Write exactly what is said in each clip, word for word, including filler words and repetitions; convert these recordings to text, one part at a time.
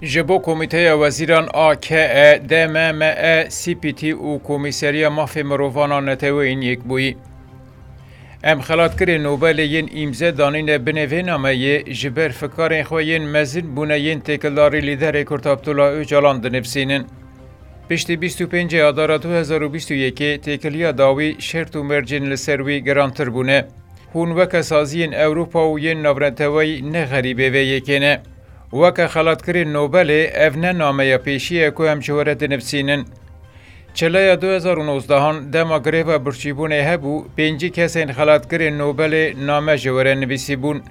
Ji bo Komîteya Wezîran a K E, D M M E, C P T û Komîseriya Mafê Mirovan a Neteweyên Yekbûyî. Em xelatkarên Nobelê yên îmze danîne binê vê nameyê ji ber fikarên xwe yên mezin bûne yên têkildarî Lîderê Kurd Abdullah Ocalan dinivsînin. Piştî bîst û pêncê Adara du hezar û bîst û yekê têkiliya dawî şert û mercên li ser wî girantir bûne. Hûn weke saziyên Ewropa û yên navneteweyî ne xerîbê vê yekê ne. Weke xelatkarên Nobelê ev ne nameya pêşî ye ku em ji we re dinivsînin. Çileya du hezar û nozdehan dema greva birçîbûnê hebû, pêncî kesên xelatkarên Nobelê name ji we re nivîsîbûn.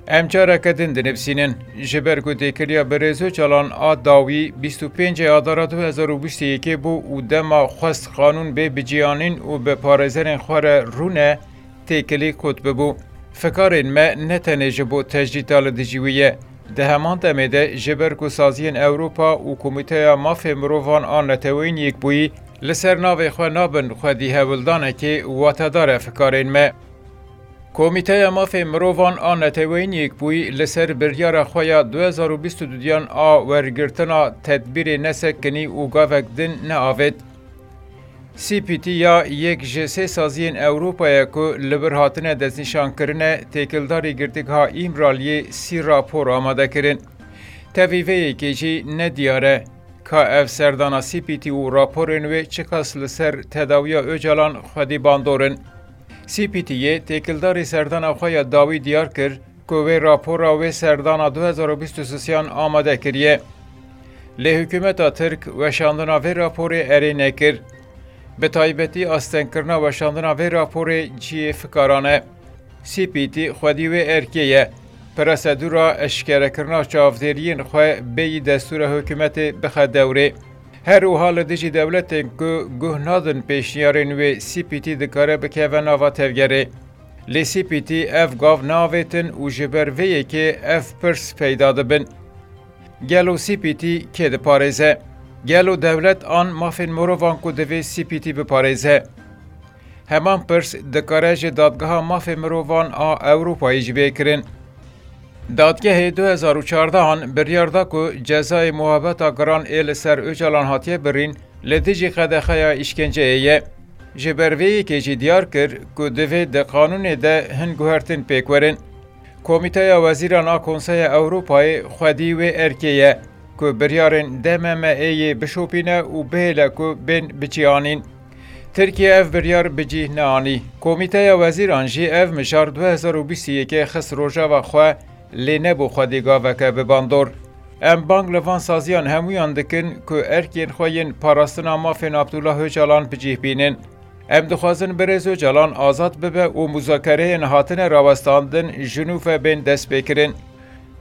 Em careke din dinivsînin, ji ber ku têkiliya Birêz Ocalan a dawî bîst û pêncê Adara du hezar û bîst û yekê bû û dema xwest qanûn bê biciyanîn û bi parêzerên xwe re rûne têkilî qut bibû. Fikarên me ne tenê ji bo tecrîta li dijî wî ye. Di heman demê de ji ber ku saziyên Ewropa û Komîteya Mafê Mirovan a Neteweyên Yekbûyî li ser navê xwe nabin xwedî hewldanekê watedar e fikarên me. Komîteya Mafê Mirovan a Neteweyên Yekbûyî li ser biryara xwe ya du hezar û bîst û duyan a wergirtina tedbîrê nesekinî û gavek din neavêt. C P T ya yek ji sê saziyên Ewropa ye ku li vir hatine destnîşankirine, têkildarî girtîgeha Îmraliyê sî rapor amade kirin. Tevî vê yekê jî ne diyar e ka ev serdana C P T û raporên wê çiqas li ser tedawiya Ocalan xwedî bandor in. C P T yê têkildarî serdana xwe ya dawî diyar kir ku wê rapora wê serdana du hezar û bîst û sêyan amade kiriye. Lê hikûmeta Tirk weşandina vê raporê erê nekir. Bi taybetî astengkirina weşandina vê raporê cihê fikaran e. C P T xwedî wê erkê ye. Prosedûra eşkerekirina çavdêriyên xwe bêyî destûra hikûmetê bixe dewrê. Her wiha li dijî dewletên ku guh nadin pêşniyarên wê C P T dikare bikeve nava tevgerê. Lê C P T ev gav navêtin û ji ber vê yekê ev pirs peyda dibin. Gelo C P T kê diparêze? Gelo dewlet an mafên mirovan ku divê C P T biparêze? Heman pirs dikare ji Dadgeha Mafê Mirovan a Ewropayê jî bê kirin. Dadgehê du hezar û çardehan biryar da ku cezayê muhabeta giran ê li ser Ocalan hatiye birîn li dijî qedexeya îşkenceyê ye. Ji ber vê yekê jî diyar kir ku divê di qanûnê de hin guhertin pêk werin. Komîteya Wezîran a Konseya Ewropayê xwedî wê erkê ye ku biryarên D M M Ê yê bişopîne û bihêle ku bên bicîanîn. Tirkiye ev biryar bi cih neanî. Komîteya Wezîran jî ev mijar du hezar û bîst û yekê xist rojeva xwe, lê nebû xwedî gaveke bi bandor. Em bang li van saziyan hemûyan dikin ku erkên xwe yên parastina mafên Abdullah Ocalan bi cih bînin. Em dixwazin Birêz Ocalan azad bibe û muzakereyên hatine rawestandin ji nû ve bên destpêkirin.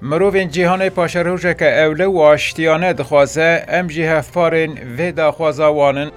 Mirovên cîhanê paşerojeke ewle û aştiyane dixwaze, em jî hevparên vê daxwaza wan in.